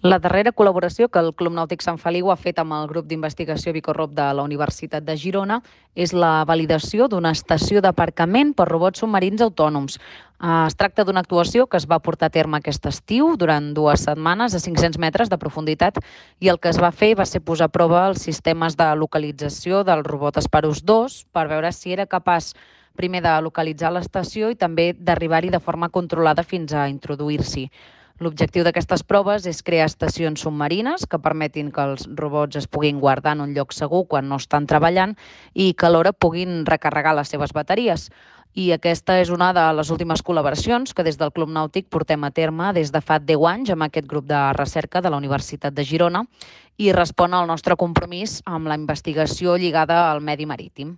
La darrera col·laboració que el Club Nàutic Sant Feliu ha fet amb el grup d'investigació Bicorrop de la Universitat de Girona és la validació d'una estació d'aparcament per robots submarins autònoms. Es tracta d'una actuació que es va portar a terme aquest estiu durant 2 setmanes a 500 metres de profunditat i el que es va fer va ser posar a prova els sistemes de localització del robot Asparus 2 per veure si era capaç primer de localitzar l'estació i també d'arribar-hi de forma controlada fins a introduir-s'hi. L'objectiu d'aquestes proves és crear estacions submarines que permetin que els robots es puguin guardar en un lloc segur quan no estan treballant i que alhora puguin recarregar les seves bateries. I aquesta és una de les últimes col·laboracions que des del Club Nàutic portem a terme des de fa 10 anys amb aquest grup de recerca de la Universitat de Girona i respon al nostre compromís amb la investigació lligada al medi marítim.